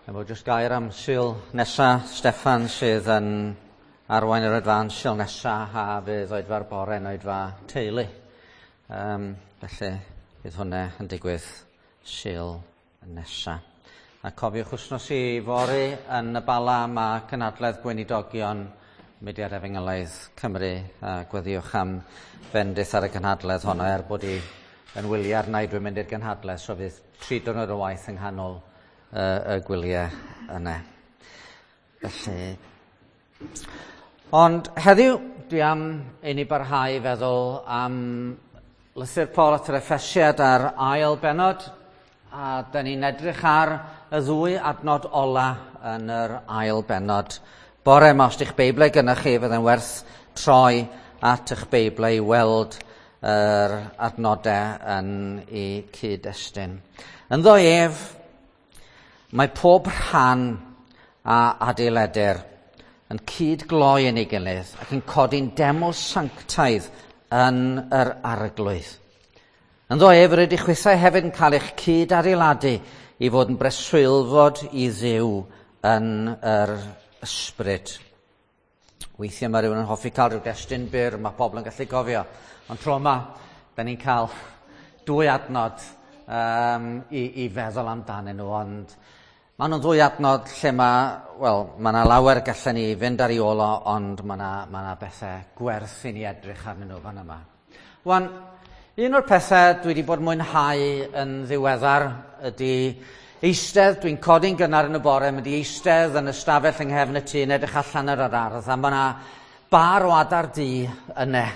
Efo jyst gair am Sul nesa, Steffan sydd yn arwain yr oedfaon Sul nesa a fydd oedfa'r bore yn oedfa teulu. Felly bydd hwnna yn digwydd Sul nesa. A cofiwch wythnos i fory yn y Bala mae cynhadledd gweinidogion Mudiad Efengylaidd Cymru a gweddïwch am fendith ar y gynhadledd honno er bod i yn wyliau arna i dwi'n mynd i'r gynhadledd so fydd 3 diwrnod o waith yng nghanol y gwyliau yna. Felly, ond heddiw dwi am i ni barhau i feddwl am lythyr Paul at yr Effesiad a'r ail bennod, a da ni'n edrych ar y ddwy adnod ola yn yr ail bennod. Bore yma, os di'ch Beiblau gyda chi, fydde'n werth troi at eich Beiblau i weld yr adnodau yn eu cyd-destun. Ynddo ef, mae pob rhan a adeiledir yn cyd-gloi yn ei gilydd ac yn codi'n deml sanctaidd yn yr arglwydd. Ynddo ef yr ydych chwithau hefyd yn cael eich cyd-adeiladu i fod yn breswylfod i Dduw yn yr ysbryd. Weithiau mae rhywun yn hoffi cael rhyw destun byr, mae pobl yn gallu gofio. Ond tro yma, da ni'n cael 2 adnod i feddwl amdanyn nhw, ond maen nhw'n 2 adnod lle mae, wel, mae yna lawer gallen ni fynd ar ei ôl o, ond mae yna bethau gwerth i ni edrych arnyn nhw fan yma. Wan, un o'r pethau dwi wedi bod mwynhau yn ddiweddar ydy eistedd, dwi'n codi'n gynnar yn y bore, mynd i eistedd yn y stafell yng nghefn y tŷ yn edrych allan ar yr ardd, a mae yna bar o adar du yna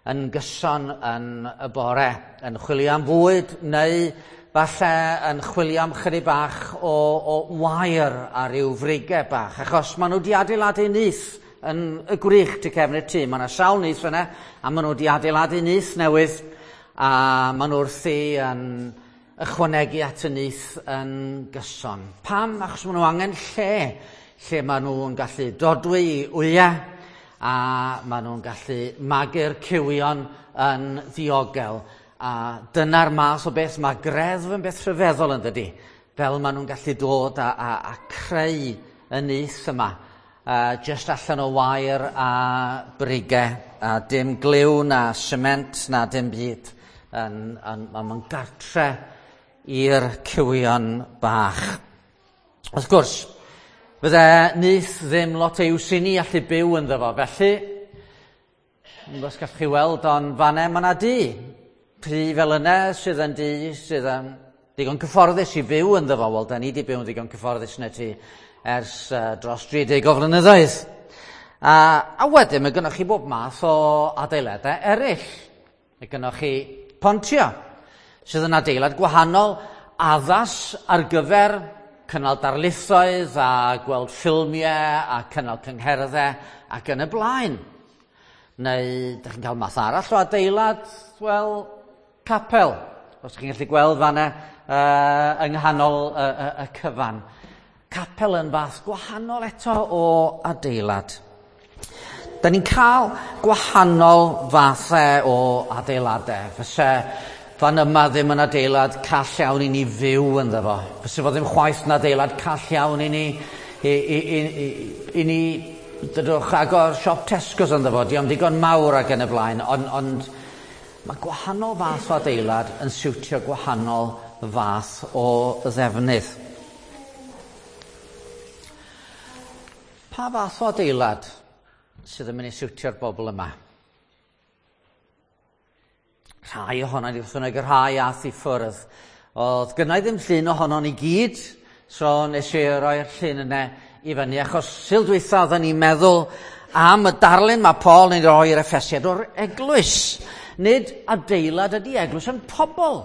yn gyson yn y bore, yn chwilio am fwyd neu falle yn chwilio am chydig bach o wair a ryw frigau bach, achos maen nhw wedi adeiladu nyth yn y gwrych tu cefn y tŷ. Mae yna sawl nyth yna, a maen nhw wedi adeiladu nyth newydd, a maen nhw wrthi yn ychwanegu at y nyth yn gyson. Pam? Achos maen nhw angen lle maen nhw'n gallu dodwy i wyau, a maen nhw'n gallu magu'r cywion yn ddiogel. A dyna'r math o beth, mae greddf yn beth rhyfeddol yn dydi, fel maen nhw'n gallu dod a creu y nyth yma, just allan o wair a brigau, a dim gliw na sement na dim byd. Mae'n gartre i'r cywion bach. Wrth gwrs, fydde nyth ddim lot o iws i ni allu byw ynddo fo, felly, os gallwch chi weld, ond fan'na mae 'na dŷ. Tŷ fel yna sydd yn dŷ sydd yn digon cyfforddus i fyw ynddo fo. Wel, da ni wedi byw yn ddigon cyfforddus yn y tŷ ers dros 30 o flynyddoedd. A wedyn mae gynnoch chi bob math o adeiladau eraill. Mae gynnoch chi Pontio, sydd yn adeilad gwahanol, addas ar gyfer cynnal darlithoedd a gweld ffilmiau a cynnal cyngherddau ac yn y blaen. Neu, dych chi'n cael math arall o adeilad, wel, capel. Os ydych chi'n gallu gweld fan'na yng nghanol y cyfan. Capel yn fath gwahanol eto o adeilad. Da ni'n cael gwahanol fathau o adeiladau. Fyse fan yma ddim yn adeilad call iawn i ni fyw ynddo fo. Fyse fo ddim chwaith yn adeilad call iawn i ni, i ni dydwch agor siop Tesco's ynddo fo. Dio'm digon mawr ac yn y blaen, ond mae gwahanol fath o adeilad yn siwtio gwahanol fath o ddefnydd. Pa fath o adeilad sydd yn mynd i siwtio'r bobl yma? Rhai ohono ni, wrth bynnag, y rhai ath i ffwrdd. Oedd gynna i ddim llun ohono ni gyd, so nes i roi'r llun yna i fyny, achos Sul dwytha oedden ni'n meddwl am y darlun mae Paul yn ei roi i'r Effesiad o'r eglwys. Nid adeilad ydy eglwys, ond pobl.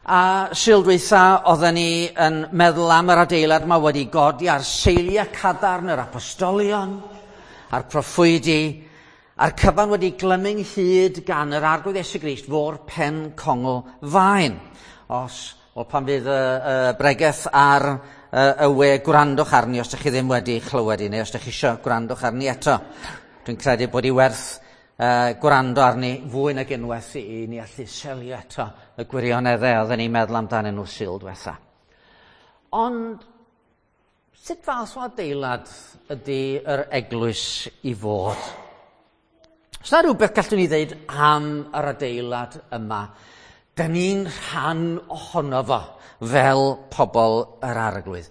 A Sul dwytha oedden ni yn meddwl am yr adeilad yma wedi godi ar seiliau cadarn yr apostolion, a'r proffwydi, a'r cyfan wedi glymu ynghyd gan yr Arglwydd Iesu Grist fo'r pen congl faen. Pan fydd y bregeth ar y we, gwrandwch arni os ydych chi ddim wedi chlywed i, neu os ydych chi isio gwrandwch arni eto. Dwi'n credu bod hi werth gwrando arni fwy nag unwaith i ni allu selio eto y gwirioneddau oedden ni'n meddwl amdanyn nhw Sul diwetha. Ond Sut fath o adeilad ydy yr eglwys i fod? Os na rhywbeth gallwn ni ddeud am yr adeilad yma, da ni'n rhan ohono fo fel pobl yr arglwydd.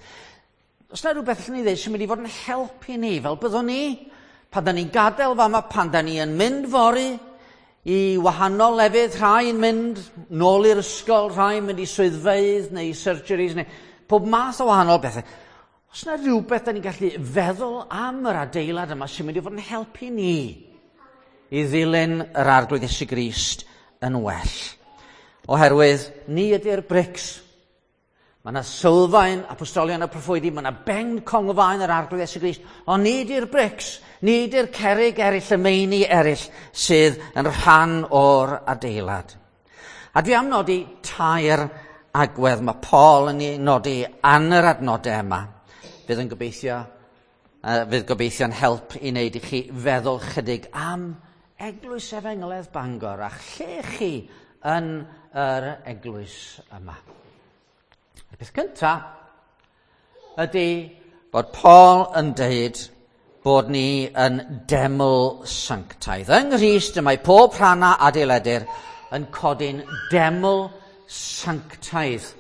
Os na rhywbeth allwn ni ddeud sy'n mynd i fod yn helpu ni, fel byddwn ni, pan da ni'n gadael fama, pan da ni yn mynd fory i wahanol lefydd, rhai yn mynd nôl i'r ysgol, rhai yn mynd i swyddfeydd neu surgeries, neu pob math o wahanol bethau. Os na rhywbeth da ni'n gallu feddwl am yr adeilad yma sy'n mynd i fod yn helpu ni i ddilyn yr arglwydd Iesu Grist yn well. Oherwydd ni ydy'r brics. Mae yna sylfaen apostolion y proffwydi, mae yna ben conglfaen yr arglwydd Iesu Grist, ond ni ydy'r brics, ni ydy'r cerrig eraill, y meini eraill sydd yn rhan o'r adeilad. A dwi am nodi tair agwedd mae Paul yn ei nodi yn yr adnodau yma. Fydd yn gobeithio, fydd gobeithio'n help i wneud i chi feddwl chydig am Eglwys Efengylaidd Bangor a lle chi yn yr eglwys yma. Y peth cyntaf ydy bod Paul yn deud bod ni yn deml sanctaidd. Yng Nghrist y mae pob rhan a adeiledir yn codi'n deml sanctaidd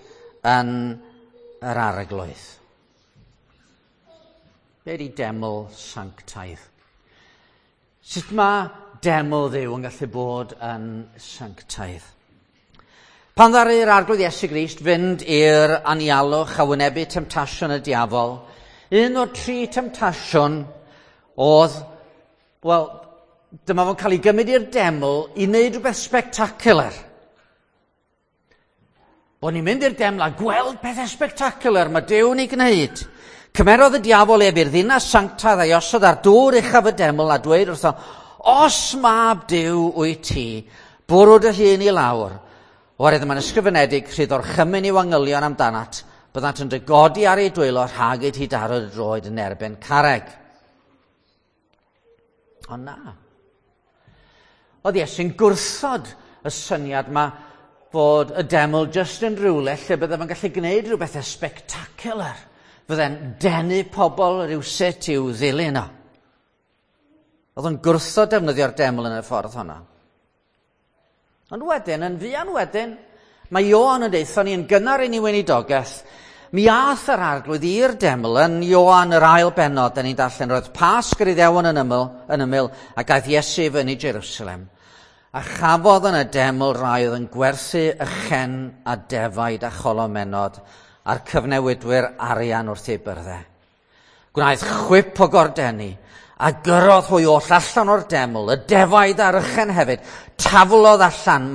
yn yr arglwydd. Be ydy deml sanctaidd? Sut mae deml Dduw yn gallu bod yn sanctaidd? Pan ddaru'r arglwydd Iesu Grist fynd i'r anialwch a wynebu temtasiwn y diafol, un o'r tri temtasiwn oedd, wel, dyma fo'n cael ei gymryd i'r deml i wneud rhywbeth spectacular. Bod ni'n mynd i'r deml a gweld pethau spectacular mae Duw yn ei gwneud. Cymerodd y diafol ef i'r ddinas sanctaidd a'i osod ar dŵr uchaf y deml a dweud wrtho, os mab Duw wyt ti, bwrw dy hun i lawr. Oherwydd mae'n ysgrifenedig, rhydd orchymyn i'w angylion amdanat, byddant yn dy godi ar ei dwylo rhag i ti daro dy droed yn erbyn carreg. Ond na. Oedd Iesu'n gwrthod y syniad yma fod y deml jyst yn rhywle lle bydde fo'n gallu gwneud rhyw bethau spectacular. Fydde'n denu pobl rhywsut i'w ddilyn o. Oedd o'n gwrthod defnyddio'r deml yn y ffordd honno. Ond wedyn, yn fuan wedyn, mae Ioan yn deutha ni yn gynnar i ni weinidogaeth, mi ath yr arglwydd i'r deml yn Ioan yr ail bennod, da ni'n darllen, roedd Pasg yr Iddewon yn ymyl, ac aeth Iesu fyny Jerusalem. A chafodd yn y deml rai oedd yn gwerthu ychen a defaid a cholomenod a'r cyfnewidwyr arian wrth ei byrddau. Gwnaeth chwip o gordeni a gyrrodd hwy oll allan o'r deml, y defaid a'r ychen hefyd, taflodd allan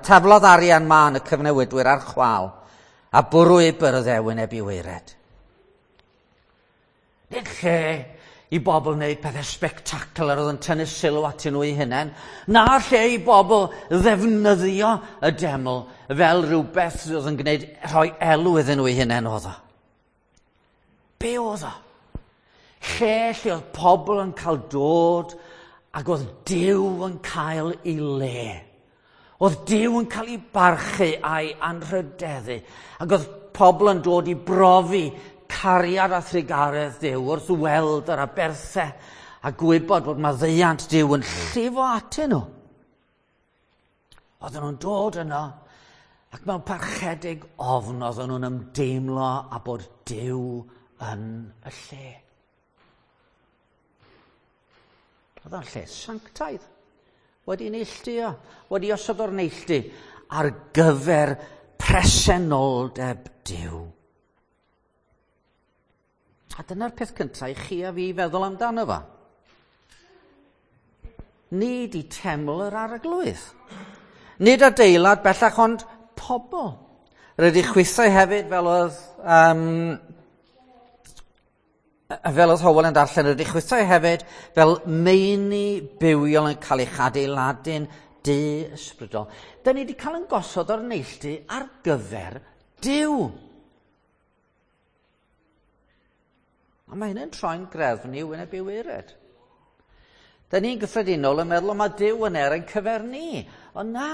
taflodd arian mân y cyfnewidwyr ar chwâl a bwrw ei byrddau wyneb i waered. Nid lle i bobl wneud pethau spectacular oedd yn tynnu sylw atyn nhw eu hunain, na lle i bobl ddefnyddio y deml fel rhywbeth oedd yn gwneud rhoi elw iddyn nhw eu hunain oedd o. Be oedd o? Lle oedd pobl yn cael dod ac oedd Duw yn cael ei le. Oedd Duw yn cael ei barchu a'i anrhydeddu ac oedd pobl yn dod i brofi cariad a thrugaredd Duw wrth weld yr aberthau a gwybod bod maddeuant Duw yn llifo atyn nhw. Oedden nhw'n dod yno ac mewn parchedig ofn oedden nhw'n ymdeimlo a bod Duw yn y lle. Oedd o'n lle sanctaidd, wedi neilltuo, wedi osod o'r neilltu ar gyfer presenoldeb Duw. A dyna'r peth cyntaf i chi a fi feddwl amdano fo. Nid i teml yr arglwydd. Nid adeilad bellach ond pobl. Rydych chwithau hefyd fel oedd Howell yn darllen, rydych chwithau hefyd fel meini bywiol yn cael eich adeiladu'n du ysbrydol. Da ni wedi cael yn gosod o'r neilltu ar gyfer Duw. A mae hynny'n troi'n greddf ni wyneb i waered. Da ni'n gyffredinol yn meddwl mae Duw yn er ein cyfer ni, ond na.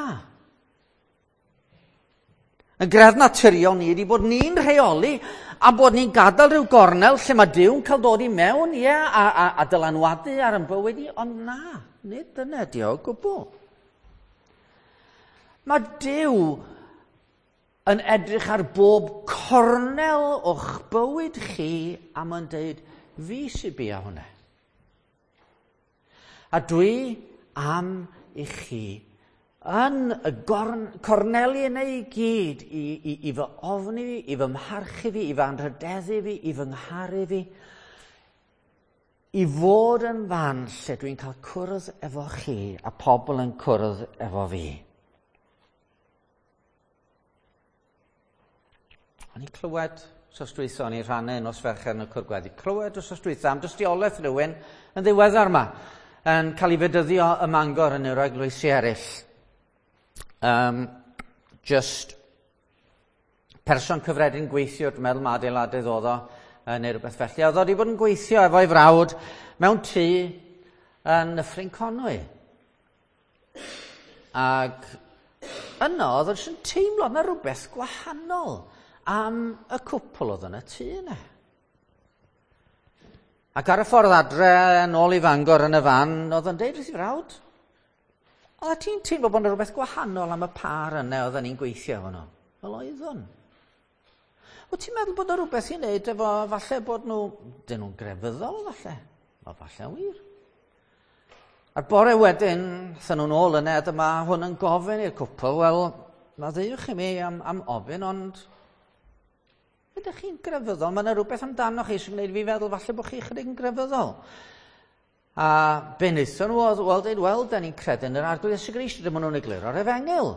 Y greddf naturiol ni ydy bod ni'n rheoli a bod ni'n gadael rhyw gornel lle mae Duw'n cael dod i mewn, ie, a dylanwadu ar ein bywyd ni, ond na, nid dyna ydi o gwbl. Mae Duw yn edrych ar bob cornel o'ch bywyd chi a mae'n deud, fi sy'n bia hwnna. A dwi am i chi yn y gorn, corneli yna i gyd i fy ofni fi, i fy mharchu fi, i fy anrhydeddu fi, i fy ngharu fi, i fod yn fan lle dwi'n cael cwrdd efo chi a pobl yn cwrdd efo fi. O'n i'n clywed wsos dwytha, o'n i'n rhannu nos Fercher yn y cwr gweddi, clywed wsos dwytha am dystiolaeth rhywun yn ddiweddar yma, yn cael ei fedyddio ym Mangor yn yr eglwysi eraill. Just person cyffredin gweithio, dwi'n meddwl mae adeiladydd oedd o, neu rhywbeth felly. Oedd o wedi bod yn gweithio efo'i frawd mewn tŷ yn Nyffryn Conwy. Ac yno oedd o'n teimlo na rhywbeth gwahanol am y cwpl oedd yn y tŷ yna. Ac ar y ffordd adre, yn ôl i Fangor yn y fan, oedd o'n deud wrth ei frawd, oedd ti'n teimlo bod yna rhywbeth gwahanol am y par yna oedden ni'n gweithio efo nhw? Wel, oeddwn. Wyt ti'n meddwl bod yna rhywbeth i wneud efo falle bod nhw, dyn nhw'n grefyddol falle? Wel, falle wir. A'r bore wedyn, aethon nhw'n ôl yna, a dyma hwn yn gofyn i'r cwpl, wel, maddeuwch i mi am ofyn, ond ydych chi'n grefyddol? Mae yna rhywbeth amdano chi sy'n gwneud fi feddwl falle bod chi chydig yn grefyddol. A be wnaethon nhw oedd, wel, dweud, wel, da ni'n credu yn yr Arglwydd Iesu Grist, dyma nhw'n egluro'r efengyl.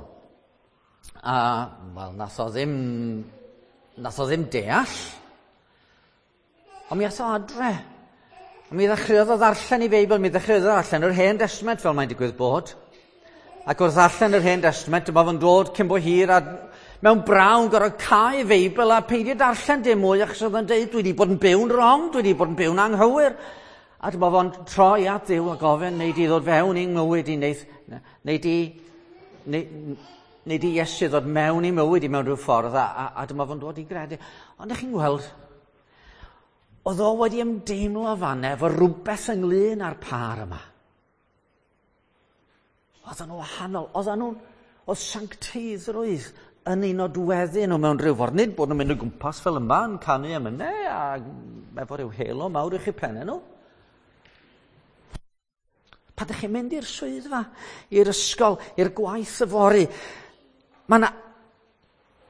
A, wel, nath o ddim deall. Ond mi ath o adre. A mi ddechreuodd o ddarllen i Feibl, mi ddechreuodd o ddarllen yr Hen Testament, fel mae'n digwydd bod. Ac wrth ddarllen yr Hen Testament, dyma fo'n dod cyn bo hir a mewn brawn gorfod cau Feibl a peidio darllen dim mwy, achos oedd o'n deud, dwi wedi bod yn byw'n wrong, dwi wedi bod yn byw'n anghywir. A dyma fo'n troi at Dduw a gofyn, neu di ddod fewn i'n mywyd i, neu di Iesu ddod mewn i mywyd i mewn rhyw ffordd, a dyma fo'n dod i gredu. Ond ych chi'n gweld, oedd o wedi ymdeimlo fanna efo rhywbeth ynglyn â'r par yma. Oedden nhw wahanol, oedd sancteiddrwydd yn ei nodweddu nhw mewn rhyw ffordd. Nid bod nhw'n mynd o gwmpas fel yma yn canu emynau a efo rhyw halo mawr uwch eu pennau nhw. Pan ydych chi'n mynd i'r swyddfa, i'r ysgol, i'r gwaith yfory, mae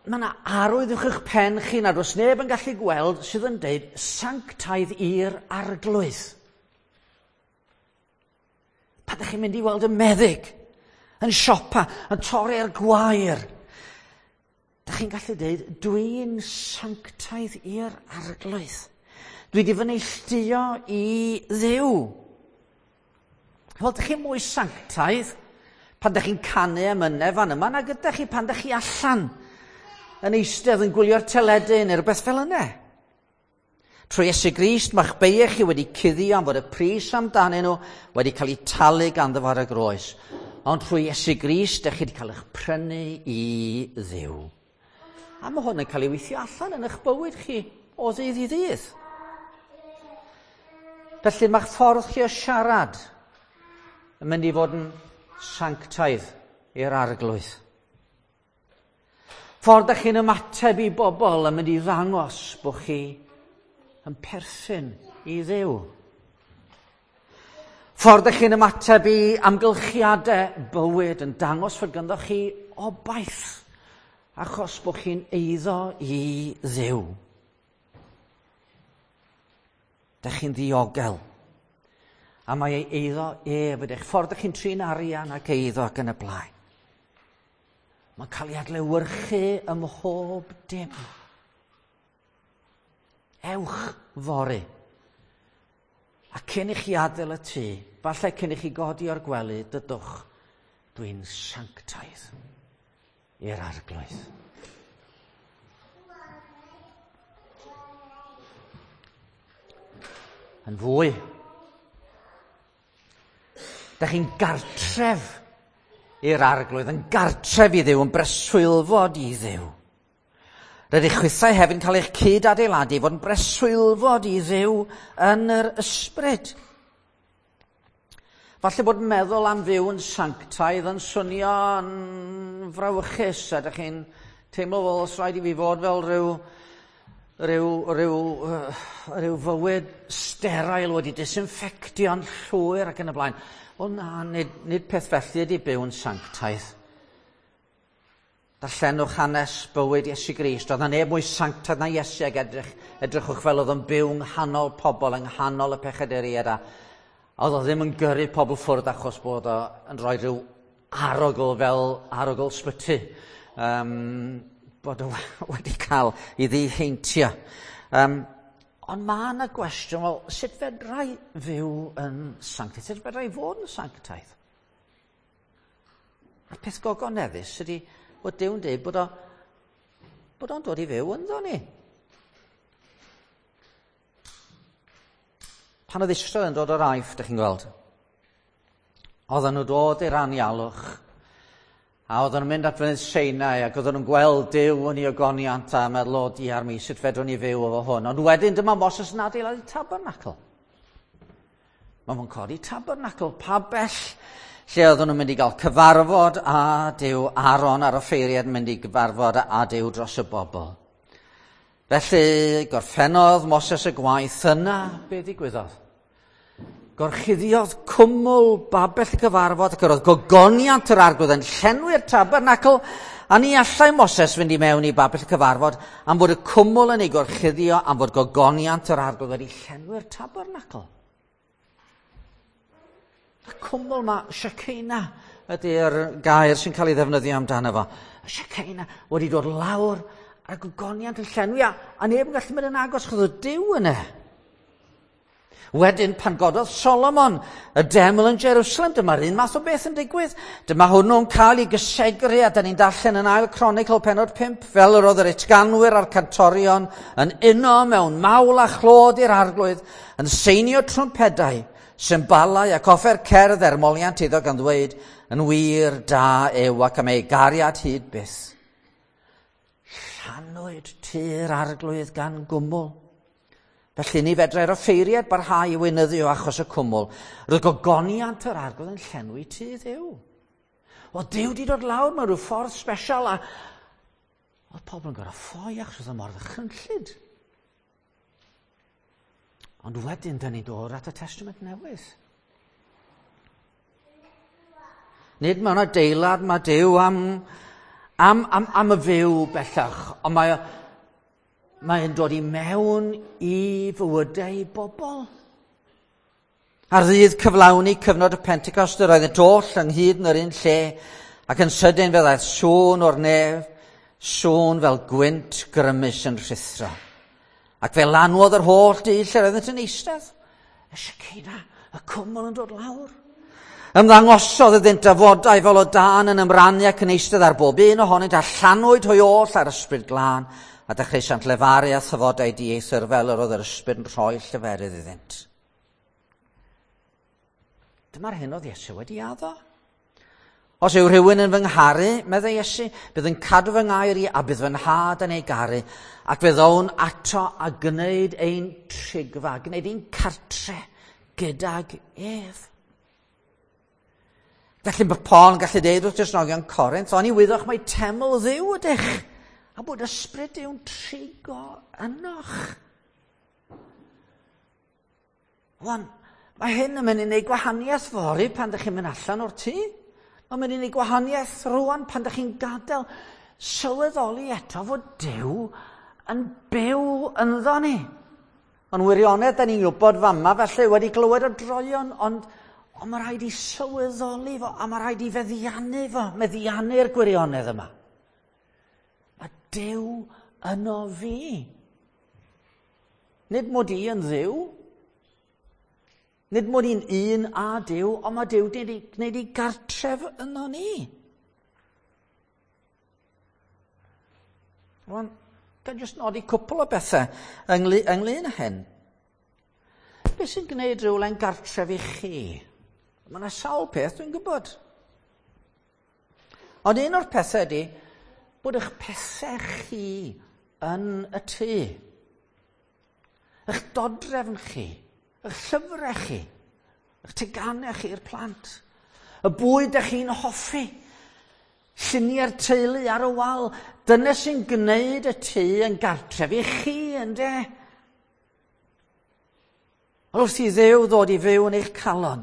yna arwydd uwch eich pen chi nad oes neb yn gallu gweld sydd yn deud sanctaidd i'r Arglwydd. Pan ydych chi'n mynd i weld y meddyg, yn siopa, yn torri'r gwair, ydych chi'n gallu deud, dwi'n sanctaidd i'r Arglwydd. Dwi wedi fy neilltuo i Dduw. Wel, ydych chi'n mwy sanctaidd pan ydych chi'n canu emynau fan yma nag ydych chi pan ydych chi allan yn eistedd yn gwylio'r teledu neu rhywbeth fel yna. Trwy Iesu Grist, mae'ch beiau chi wedi cuddio am fod y pris amdanyn nhw wedi cael eu talu ganddo fo ar y groes. Ond trwy Iesu Grist, ydych chi wedi cael eich prynu i Dduw. A mae hwn yn cael ei weithio allan yn eich bywyd chi o ddydd i ddydd. Felly mae'ch ffordd chi o siarad yn mynd i fod yn sanctaidd i'r Arglwydd. Ffordd ydych chi'n ymateb i bobl yn mynd i ddangos bod chi yn perthyn i Dduw. Ffordd ydych chi'n ymateb i amgylchiadau bywyd yn dangos fod ganddo chi obaith achos bod chi'n eiddo i Dduw. Dych chi'n ddiogel. A mae ei eiddo ef ydych. Ffordd ydych chi'n trin arian ac eiddo ac yn y blaen. Mae'n cael ei adlewyrchu ym mhob dim. Ewch fory. A cyn i chi adael y tŷ, falle cyn i chi godi o'r gwely, dydwch, dwi'n sanctaidd i'r Arglwydd. Yn fwy, dych chi'n gartref i'r Arglwydd, yn gartref i Dduw, yn breswylfod i Dduw. Rydych chwithau hefyd yn cael eich cyd-adeiladu fod yn breswylfod i Dduw yn yr ysbryd. Falle bod meddwl am fyw yn sanctaidd yn swnio'n frawychus, a ydych chi'n teimlo fel os rhaid i fi fod fel rhyw fywyd sterile wedi disinfectio'n llwyr ac yn y blaen. Wel na, nid peth felly ydy byw yn sanctaidd. Darllenwch hanes bywyd Iesu Grist. Oedd 'na neb mwy sanctaidd na Iesu, ac edrychwch fel oedd o'n byw yng nghanol pobl, yng nghanol y pechaduriaid, a oedd o ddim yn gyrru pobl ffwrdd achos bod o yn rhoi rhyw arogl fel arogl sbyty, bod o wedi cael ei ddiheintio. Ond mae yna gwestiwn, wel, sut fedrai fyw yn sanctaidd? Sut fedrai fod yn sanctaidd? A'r peth gogoneddus ydy bod Duw'n dweud bod o'n dod i fyw ynddo ni. Pan oedd Israel yn dod o'r Aifft, ydych chi'n gweld, oedden nhw dod i'r anialwch, a oedden nhw'n mynd at fynydd Sinai, ac oedden nhw'n gweld Duw yn ei ogoniant a meddwl, o diar mi, sut fedrwn ni fyw efo hwn. Ond wedyn dyma Moses yn adeiladu tabernacl. Mae fo'n codi tabernacl, pabell, lle oedden nhw'n mynd i gael cyfarfod â Duw, Aaron a'r offeiriad yn mynd i gyfarfod â Duw dros y bobl. Felly, gorffennodd Moses y gwaith yna, be ddigwyddodd? Gorchuddiodd cwmwl babell y cyfarfod ac yr oedd gogoniant yr arglwydd yn llenwi'r tabernacl, a ni allai Moses fynd i mewn i babell y cyfarfod am fod y cwmwl yn ei gorchuddio, am fod gogoniant yr arglwydd wedi llenwi'r tabernacl. Y cwmwl ma, Shekinah, ydy'r gair sy'n cael ei ddefnyddio amdano fo. Y Shekinah wedi dod lawr a'r gogoniant yn llenwi, a neb yn gallu mynd yn agos, chos oedd Duw yna. Wedyn, pan gododd Solomon y deml yn Jerusalem, dyma'r un math o beth yn digwydd. Dyma hwnnw'n cael ei gysegru, a da ni'n darllen yn ail Cronicl penod 5, fel yr oedd yr utganwyr a'r cantorion yn uno mewn mawl a chlod i'r arglwydd, yn seinio trwmpedau, symbalau ac offer cerdd er moliant iddo gan ddweud, yn wir da yw ac am ei gariad hyd byth. Llanwyd tŷ'r arglwydd gan gwmwl. Felly ni fedrai'r offeiriad barhau i weinyddu o achos y cwmwl. Roedd gogoniant yr arglwydd yn llenwi tŷ Dduw. O, Duw wedi dod lawr mewn rhyw ffordd special, a oedd pobl yn gorfod ffoi achos oedd o mor ddychrynllyd. Ond wedyn, dyn ni'n dod at y Testament Newydd. Nid mewn adeilad mae Duw am y fyw bellach, ond mae'n dod i mewn i fywydau bobl. Ar ddydd cyflawni cyfnod y Pentecost, yr oeddynt oll ynghyd yn yr un lle, ac yn sydyn fe ddaeth sŵn o'r nef, sŵn fel gwynt grymus yn rhuthro. Ac fe lanwodd yr holl dŷ lle oeddynt yn eistedd. Y Shekinah, y cwmwl yn dod lawr. Ymddangosodd iddynt dafodau fel o dân yn ymrannu ac yn eistedd ar bob un ohonynt, a llanwyd hwy oll ar ysbryd glân, a dechreuasant lefaru a thafodau dieithr fel yr oedd yr ysbryd yn rhoi lleferydd iddynt. Dyma'r hyn oedd Iesu wedi addo. Os yw rhywun yn fy ngharu, meddai Iesu, bydd yn cadw fy ngair i a bydd fy nhad yn ei garu, ac fe ddown ato a gwneud ein trigfa, gwneud ein cartre gydag ef. Felly mae Paul yn gallu deud wrth Gristnogion Corinth, oni wyddoch mai teml Dduw ydych, a bod ysbryd Duw'n trigo ynoch. Wan, mae hyn yn mynd i wneud gwahaniaeth fory pan ydych chi'n mynd allan o'r tŷ. Mae'n mynd i wneud gwahaniaeth rwan pan ydych chi'n gadael sylweddoli eto fod Duw yn byw ynddo ni. Ond wirionedd, da ni'n gwybod fama, felly wedi glywed o droion, ond mae rhaid i sylweddoli fo, a mae rhaid i feddiannu fo, meddiannu'r gwirionedd yma. Mae Duw yno fi. Nid mod i yn Dduw. Nid mod i'n un â Duw, ond mae Duw wedi gwneud ei gartref yno ni. Rwan, ga i jyst nodi cwpl o bethau ynglyn â hyn. Beth sy'n gwneud rhywle'n gartref i chi? Mae yna sawl peth dwi'n gwybod. Ond un o'r pethau ydy bod eich pethau chi yn y tŷ. Eich dodrefn chi, eich llyfrau chi, eich teganau chi i'r plant, y bwyd ych chi'n hoffi, lluniau'r teulu ar y wal, dyna sy'n gwneud y tŷ yn gartref i chi, ynde? Wrth i Dduw ddod i fyw yn eich calon,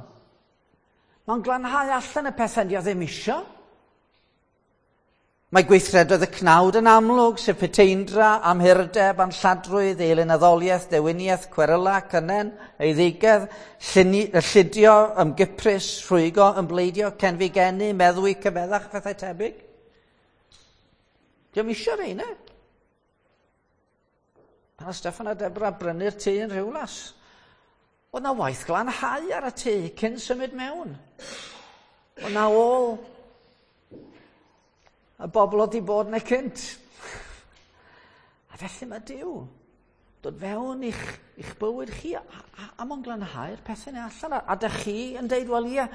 mae'n glanhau allan y pethau di o ddim isio. Mae gweithredoedd y cnawd yn amlwg, sef puteindra, amhurdeb, anlladrwydd, eilunaddoliaeth, dewiniaeth, cweryla, cynnen, eiddigedd, llidio, ymgyprys, rhwygo, ymbleidio, cenfigennu, meddwi, cyfeddach, pethau tebyg. Diolch isio reina. Pan oedd Steffan a Debra brynu'r tŷ yn Rhiwlas, oedd na waith glanhau ar y tŷ cyn symud mewn. Oedd na ôl y bobl oedd wedi bod yna cynt. A felly mae Duw dod fewn i'ch, i'ch bywyd chi a mae'n glanhau'r pethau yna allan. A dych chi yn deud, wel ie,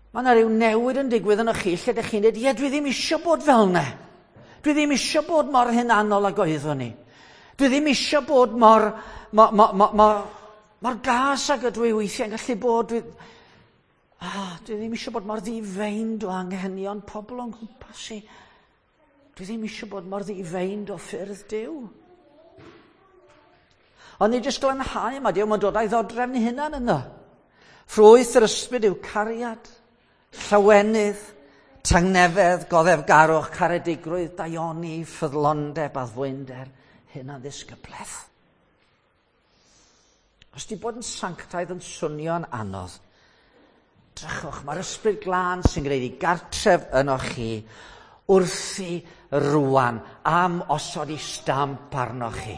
mae yna rhyw newid yn digwydd yno chi lle dych chi'n deud, ie, dwi ddim eisiau bod fel yna. Dwi ddim eisiau bod mor hunanol ag oeddwn i. Dwi ddim eisiau bod mor, mor, mor, mor, mor, mor gas ag ydw i weithiau'n gallu bod. Dwi ddim eisiau bod mor ddifeind o anghenion pobl o'n nghwmpas i. Dwi ddim eisiau bod mor ddifeind o ffyrdd Duw. Ond nid jyst glanhau yma, Duw, mae'n dod â'i ddodrefn ei hunan yno. Ffrwyth yr ysbryd yw cariad, llawenydd, tangnefedd, goddefgarwch, caredigrwydd, daioni, ffyddlondeb, addfwynder, hunan ddisgyblaeth. Os di bod yn sanctaidd yn swnio'n anodd, drychwch, mae'r ysbryd glân sy'n gwneud i gartref yno chi wrthi rwan am osod i stamp arno chi.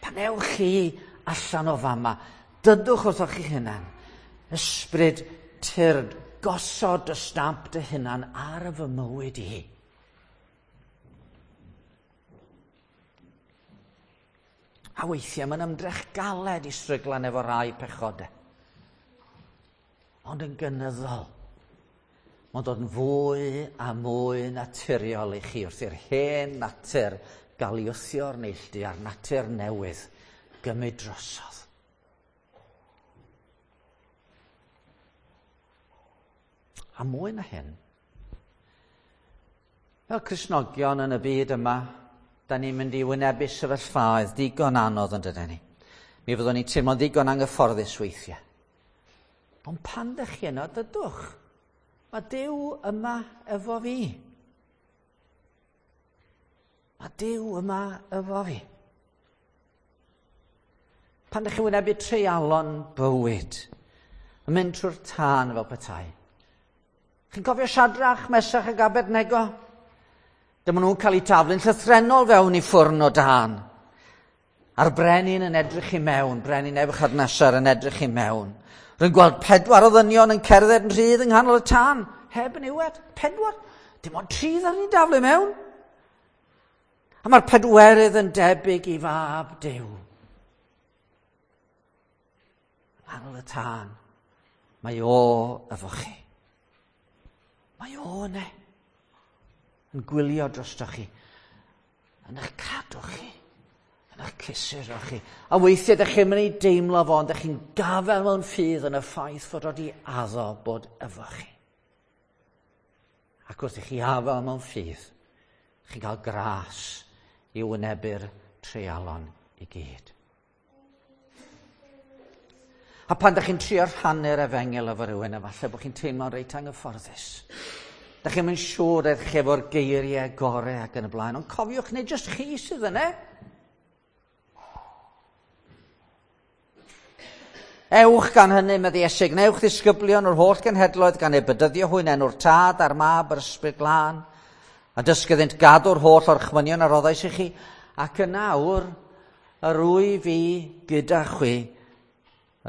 Pan ewch chi allan o fama, dydwch wrthoch chi hunan, ysbryd tyrd, gosod y stamp dy hunan ar fy mywyd i. A weithiau mae'n ymdrech galed i stryglan efo rai pechodau. Ond yn gynyddol, mae'n dod yn fwy a mwy naturiol i chi wrth i'r hen natur gael ei wthio'r neilltu a'r natur newydd gymryd drosodd. A mwy na hyn, fel Cristnogion yn y byd yma, da ni'n mynd i wynebu sefyllfaoedd digon anodd yn dydyn ni. Mi fyddwn ni'n teimlo'n ddigon anghyfforddus weithiau. Ond pan ddech chi yno, dydwch. Mae Duw yma efo fi. Mae Duw yma efo fi. Pan ddech chi'n wynebu treialon bywyd, yn mynd trwy'r tân fel petai. Chi'n cofio Siadrach, Mesach ac Abednego? Dyma nhw'n cael eu taflu'n llythrennol fewn i ffwrn o dân. A'r brenin yn edrych i mewn, brenin Nebuchadnezzar yn edrych i mewn. Rwy'n gweld 4 o ddynion yn cerdded yn rhydd yng nghanol y tân, heb niwed. 4. Dim ond 3 ddaru ni daflu mewn. A mae'r pedwerydd yn debyg i fab Duw. Nghanol y tân, mae o efo chi. Mae o yna. Yn gwylio drostoch chi. Yn eich cadw chi. Yn eich cysuro chi. A weithiau ydych chi'n mynd i deimlo fo, ond ydych chi'n gafael mewn ffydd yn y ffaith fod o wedi addo bod efo chi. Ac wrth i chi afael mewn ffydd, chi'n cael gras i wynebu'r treialon i gyd. A pan ydych chi'n trio rhannu'r efengyl efo rhywun, efallai bod chi'n teimlo'n reit anghyfforddus. Dych chi'n mynd siŵr eich chi efo'r geiriau gorau ac yn y blaen, ond cofiwch, nid jyst chi sydd yna. Ewch gan hynny, medde Iesu, gwnewch ddisgyblion o'r holl genhedloedd gan eu bedyddio hwy yn enw'r Tad a'r Mab a'r Ysbryd Glân, a dysgu iddynt gadw'r holl orchmynion a roddais i chi, ac yn awr yr wyf fi gyda chwi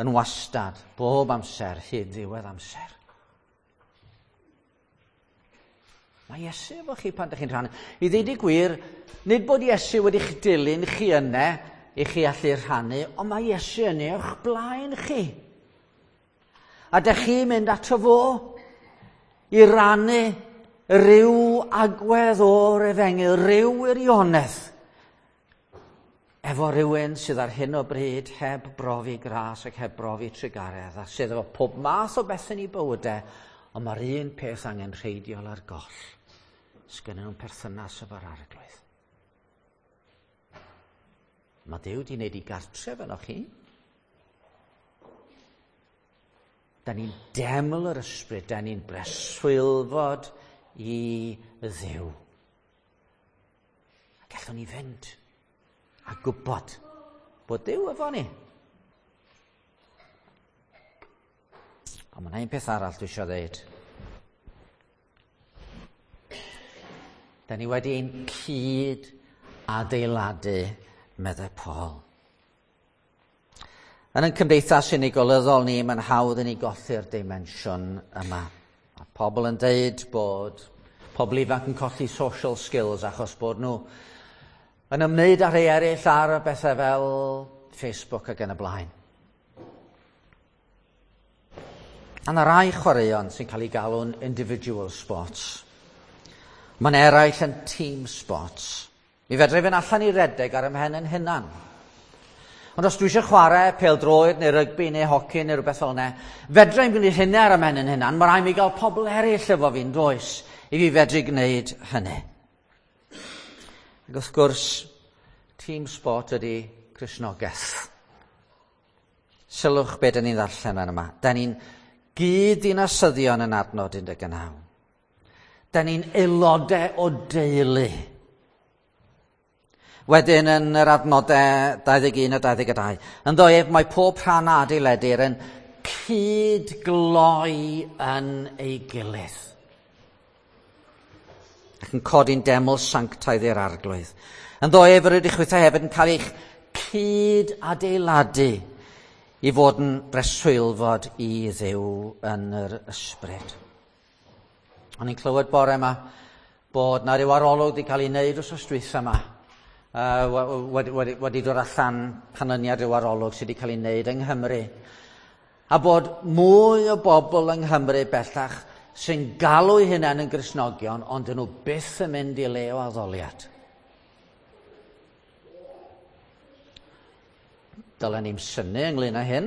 yn wastad, bob amser, hyd ddiwedd amser. Mae Iesu efo chi pan ydych chi'n rhannu. I ddweud y gwir, nid bod Iesu wedi'ch dilyn chi yna i chi allu rhannu, ond mae Iesu yn eich blaen chi. A dych chi'n mynd ato fo i rannu rhyw agwedd o'r efengyl, rhyw wirionedd, efo rhywun sydd ar hyn o bryd heb brofi gras ac heb brofi trugaredd, a sydd efo pob math o bethau yn ei bywydau, ond mae'r un peth angenrheidiol ar goll. Sgynnyn nhw'n perthynas efo'r Arglwydd. Mae Duw wedi wneud ei gartref yno chi. Da ni'n deml yr ysbryd, da ni'n breswylfod i Dduw. A gallwn ni fynd a gwybod bod Duw efo ni. Ond mae yna un peth arall dwi eisiau ddeud. Da ni wedi ein cyd adeiladu, meddai Paul. Yn ein cymdeithas unigolyddol ni, mae'n hawdd i ni golli'r dimensiwn yma. A pobl yn deud bod pobl ifanc yn colli social skills achos bod nhw yn ymwneud â rhai eraill ar bethau fel Facebook ac yn y blaen. A yna rai chwaraeon sy'n cael ei galw'n individual sports. Mae'n eraill yn team sports. Mi fedra i fynd allan i redeg ar 'y mhen yn hunan. Ond os dwi eisiau chwarae pêl-droed neu rygbi neu hoci neu rhywbeth fel yna, fedra i'm gwneud hynny ar 'y mhen yn hunan. Mae rhaid mi gael pobl eraill efo fi'n does i fi fedru gwneud hynny. Ac wrth gwrs, team sport ydy Cristnogaeth. Sylwch be da ni'n ddarllen yn yma. Da ni'n gyd-ddinasyddion yn adnod 19. Da ni'n aelodau o deulu. Wedyn yn yr adnodau 21 a 22, ynddo ef mae pob rhan a adeiledir yn cyd-gloi yn ei gilydd. Ac yn codi'n deml sanctaidd i'r Arglwydd. Ynddo ef yr ydych chwithau hefyd yn cael eich cyd-adeiladu i fod yn breswylfod i Dduw yn yr ysbryd. O'n i'n clywed bore yma bod na ryw arolwg wedi cael ei wneud wrth dwytha yma. Wedi dod allan canlyniad ryw arolwg sydd wedi cael ei wneud yng Nghymru. A bod mwy o bobl yng Nghymru bellach sy'n galw eu hunain yn Gristnogion, ond dyn nhw byth yn mynd i le o addoliad. Dylen ni'n synnu ynglyn â hyn.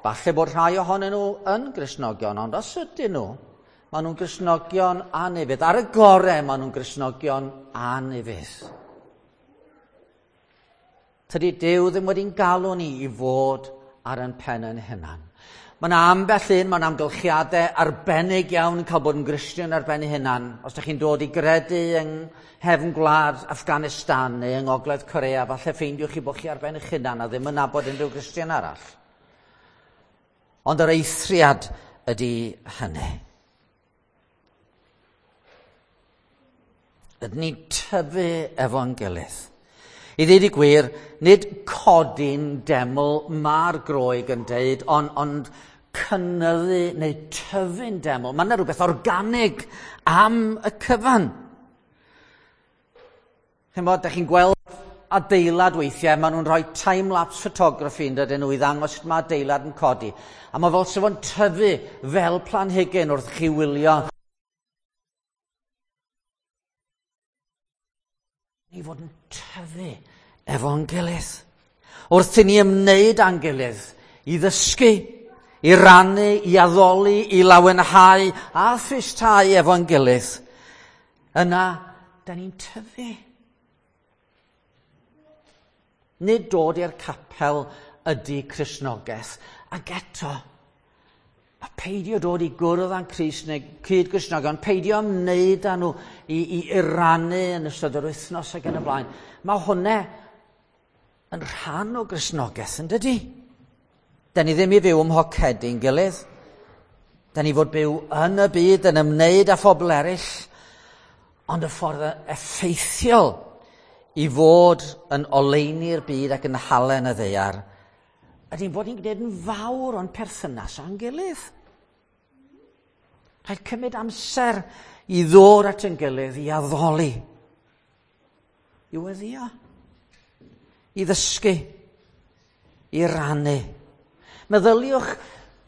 Falle bod rhai ohonyn nhw yn Gristnogion, ond os ydyn nhw, maen nhw'n Gristnogion anufudd. Ar y gorau, maen nhw'n Gristnogion anufudd. Tydi Duw ddim wedi'n galw ni i fod ar ein pen ein hunan. Mae yna ambell un, mae'n amgylchiadau arbennig iawn yn cael bod yn Gristion ar ben ei hunan. Os ydych chi'n dod i gredu yng nghefn gwlad Afghanistan neu yng Ngogledd Corea, falle ffeindiwch chi bod chi ar ben eich hunan a ddim yn nabod unrhyw Gristion arall. Ond yr eithriad ydy hynny. Ydyn ni'n tyfu efo'n gilydd. I ddweud y gwir, nid codi'n deml mae'r Groeg yn deud, ond cynyddu neu tyfu'n deml. Mae yna rhywbeth organig am y cyfan. Chimod, da chi'n gweld adeilad weithiau, maen nhw'n rhoi time-lapse photography yn dydyn nhw i ddangos sut mae adeilad yn codi. A mae fel sef o'n tyfu fel planhigyn wrth chi wylio. Ni fod yn tyfu efo'n gilydd. Wrth i ni ymwneud â'n gilydd, i ddysgu, i rannu, i addoli, i lawenhau a thristau efo'n gilydd, yna, da ni'n tyfu. Nid dod i'r capel ydy Cristnogaeth, ac eto, a peidio dod i gwrdd â'n Crist neu cyd-Gristnogion, peidio ymwneud â nhw i rannu yn ystod yr wythnos ac yn y blaen. Mae hwnna yn rhan o Gristnogaeth, yn dydy? Da ni ddim i fyw ym mhocedi'n gilydd. Da ni fod byw yn y byd, yn ymwneud â phobl eraill, ond y ffordd effeithiol i fod yn oleuni'r byd ac yn halen y ddaear, ydy'n fod ni'n gwneud yn fawr o'n perthynas â'n gilydd. Rhaid cymryd amser i ddod at ein gilydd, i addoli, i weddïo, i ddysgu, i rannu. Meddyliwch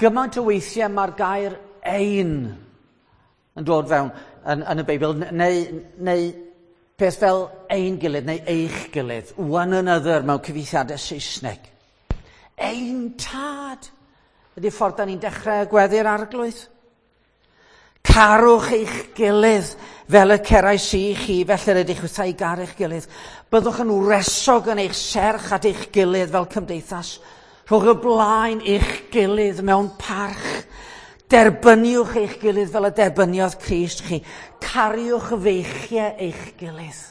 gymaint o weithiau mae'r gair ein yn dod fewn. yn y Beibl, neu peth fel ein gilydd neu eich gilydd, one another mewn cyfieithiadau Saesneg. Ein tad ydy'r ffordd da ni'n dechrau gweddi'r Arglwydd. Carwch eich gilydd fel y cerais i chi, felly rydych wrtha i garu'ch gilydd. Byddwch yn wresog yn eich serch at eich gilydd fel cymdeithas. Rhowch y blaen eich gilydd mewn parch. Derbyniwch eich gilydd fel y derbyniodd Crist chi. Cariwch feichiau eich gilydd.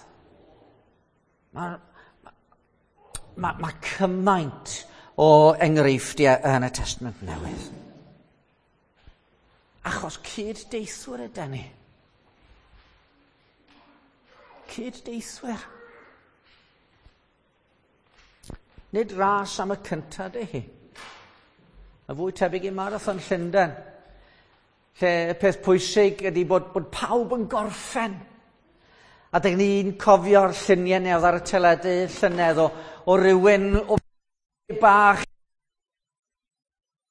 Mae cymaint o enghreifftiau yn y Testament Newydd. Achos cyd-deithwyr ydy ni. Cyd-deithwyr. Nid ras am y cyntaf dy hi. Y fwy tebyg i Marathon Llundain, lle y peth pwysig ydy bod pawb yn gorffen. A dyn ni'n cofio'r lluniau neu oedd ar y teledu llynedd o rywun o bach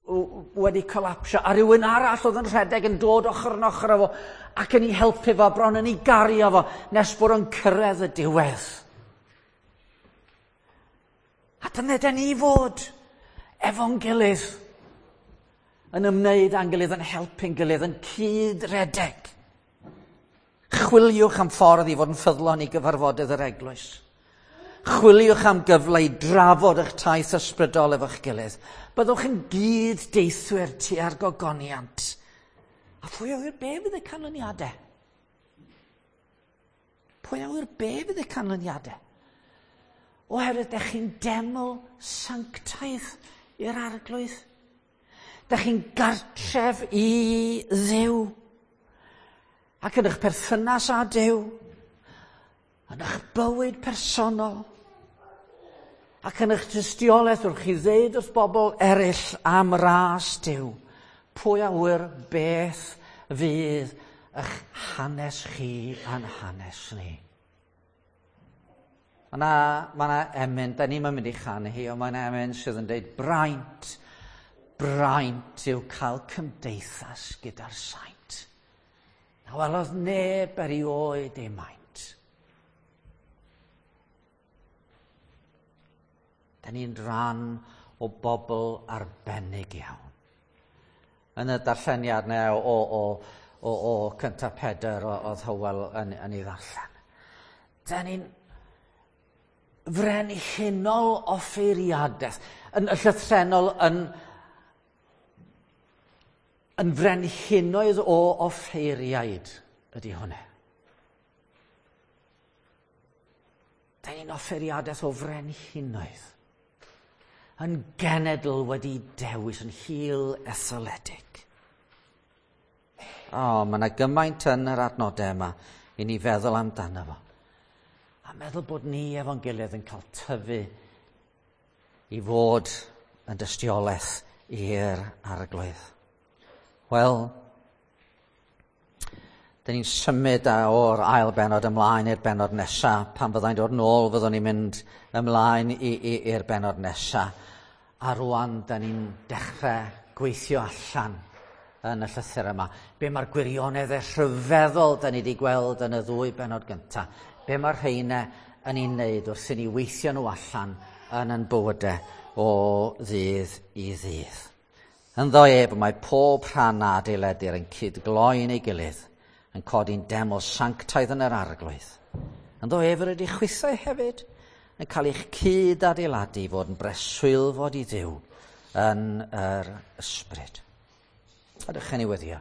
wedi colapsio, a rhywun arall oedd yn rhedeg yn dod ochr yn ochr efo ac yn ei helpu fo, bron yn ei gario fo, nes bod o'n cyrraedd y diwedd. A dyna dyn ni fod efo'n gilydd, yn ymwneud â'n gilydd, yn helpu'n gilydd, yn cyd-redeg. Chwiliwch am ffordd i fod yn ffyddlon i gyfarfodydd yr eglwys. Chwiliwch am gyfle i drafod eich taith ysbrydol efo'ch gilydd. Byddwch yn gyd-deithwyr tua'r gogoniant. A phwy a ŵyr be fydd y canlyniadau? Pwy a ŵyr be fydd y canlyniadau? Oherwydd dych chi'n deml sanctaidd i'r Arglwydd. Dych chi'n gartref i Dduw. Ac yn eich perthynas â Duw, yn eich bywyd personol, ac yn eich tystiolaeth wrth chi ddeud wrth bobl eraill am ras Duw, pwy a ŵyr beth fydd eich hanes chi a'n hanes ni. Mae yna emyn, da ni'n mynd i chanu hi, ond mae yna emyn sydd yn dweud braint, braint yw cael cymdeithas gyda'r saint. Na welodd neb erioed ei maint. Da ni'n rhan o bobl arbennig iawn. Yn y darlleniad neu o cyntaf Pedr oedd Hywel yn ei ddarllen. Da ni'n frenhinol offeiriadaeth, yn llythrennol yn frenhinoedd o offeiriaid ydy hwnna. Da ni'n offeiriadaeth o frenhinoedd, yn genedl wedi dewis, yn hil etholedig. O, mae yna gymaint yn yr adnodau yma i ni feddwl amdano fo. A meddwl bod ni efo'n gilydd yn cael tyfu i fod yn dystiolaeth i'r Arglwydd. Wel, dyn ni'n symud o'r ail bennod ymlaen i'r bennod nesaf. Pan fyddai'n dod nôl, fyddwn ni'n mynd ymlaen i'r bennod nesaf. A rwan, dyn ni'n dechrau gweithio allan yn y llythyr yma. Be mae'r gwirioneddau rhyfeddol dyn ni wedi gweld yn y ddwy bennod gyntaf. Be mae'r rheina yn ei wneud wrth i ni weithio nhw allan yn ein bywydau o ddydd i ddydd. Ynddo ef mae pob rhan a adeiledir yn cydgloi'n ei gilydd, yn codi'n deml sanctaidd yn yr Arglwydd. Ynddo ef yr ydych chwithau hefyd yn cael eich cyd-adeiladu i fod yn breswylfod i Dduw yn yr ysbryd. A dych chi'n ei weddio.